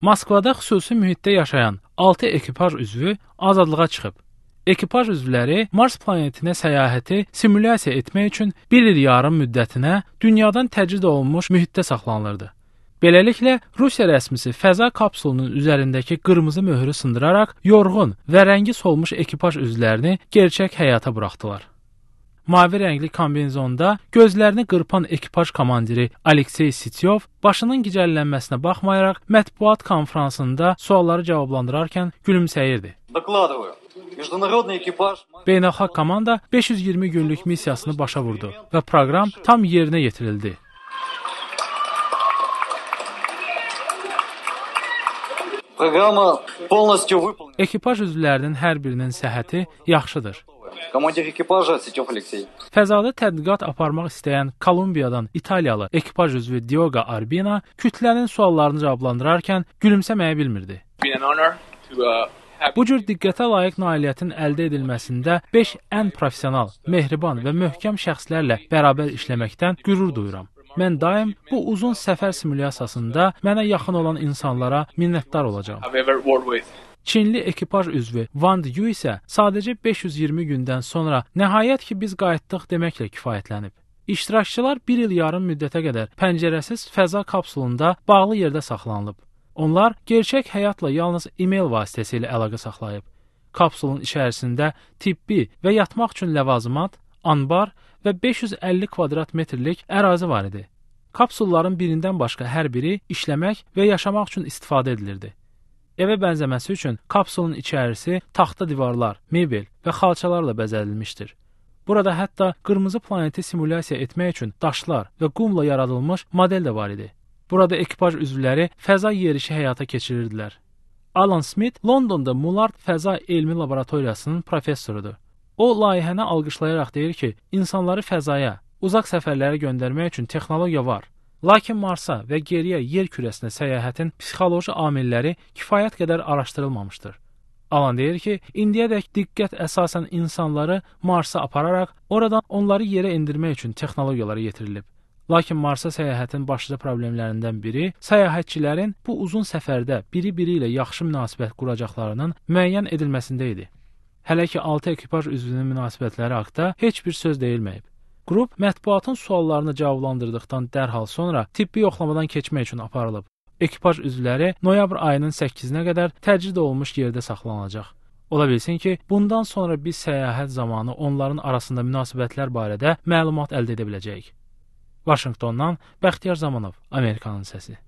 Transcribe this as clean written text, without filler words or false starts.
Moskvada xüsusi mühitdə yaşayan 6 ekipaj üzvü azadlığa çıxıb. Ekipaj üzvləri Mars planetinə səyahəti simulyasiya etmək üçün 1 il yarım müddətinə dünyadan təcrid olunmuş mühitdə saxlanılırdı. Beləliklə, Rusiya rəsmisi fəza kapsulunun üzərindəki qırmızı möhrü sındıraraq yorğun və rəngi solmuş ekipaj üzvlərini gerçək həyata buraxdılar. Mavi rəngli kombinezonda gözlərini qırpan ekipaj komandiri Aleksey Sityov başının gicəllənməsinə baxmayaraq mətbuat konfransında sualları cavablandırarkən gülümsəyirdi. Beynəlxalq komanda 520 günlük missiyasını başa vurdu və proqram tam yerinə yetirildi. Ekipaj üzvlərinin hər birinin səhhəti yaxşıdır. Fəzada tədqiqat aparmaq istəyən Kolumbiyadan İtaliyalı ekipaj üzvü Diogo Arbina kütlənin suallarını cavablandırarkən gülümsəməyə bilmirdi. Bu cür diqqətə layiq nailiyyətin əldə edilməsində 5 ən professional, mehriban və möhkəm şəxslərlə bərabər işləməkdən qürur duyuram. Mən daim bu uzun səfər simulyasiyasında mənə yaxın olan insanlara minnətdar olacağam. Çinli ekipaj üzvü Wang Yu isə sadəcə 520 gündən sonra nəhayət ki biz qayıtdıq deməklə kifayətlənib. İştirakçılar 1 il yarım müddətə qədər pəncərəsiz fəza kapsulunda bağlı yerdə saxlanılıb. Onlar gerçək həyatla yalnız e-mail vasitəsilə əlaqə saxlayıb. Kapsulun içərisində tibbi və yatmaq üçün ləvazimat, anbar və 550 kvadrat metrlik ərazi var idi. Kapsulların birindən başqa hər biri işləmək və yaşamaq üçün istifadə edilirdi. Evə bənzəməsi üçün kapsulun içərisi taxta divarlar, mebel və xalçalarla bəzədilmişdir. Burada hətta qırmızı planeti simulyasiya etmək üçün daşlar və qumla yaradılmış model də var idi. Burada ekipaj üzvləri fəza yerişi həyata keçirirdilər. Alan Smith Londonda Mullard Fəza Elmi Laboratoriyasının professorudur. O, layihəni alqışlayaraq deyir ki, insanları fəzaya, uzaq səfərlərə göndərmək üçün texnologiya var. Lakin Marsa və geriyə yer kürəsinə səyahətin psixoloji amilləri kifayət qədər araşdırılmamışdır. Alan deyir ki, indiyədək diqqət əsasən insanları Marsa apararaq, oradan onları yerə endirmək üçün texnologiyalara yetirilib. Lakin Marsa səyahətin başlıca problemlərindən biri səyahətçilərin bu uzun səfərdə biri-biri ilə yaxşı münasibət quracaqlarının müəyyən edilməsində idi. Hələ ki 6 ekipaj üzvünün münasibətləri haqqında heç bir söz deyilməyib. Qrup mətbuatın suallarını cavablandırdıqdan dərhal sonra tibbi yoxlamadan keçmək üçün aparılıb. Ekipaj üzvləri noyabr ayının 8-nə qədər təcrid olunmuş yerdə saxlanılacaq. Ola bilsin ki, bundan sonra biz səyahət zamanı onların arasında münasibətlər barədə məlumat əldə edə biləcəyik. Vaşinqtondan Bəxtiyar Zamanov, Amerikanın səsi.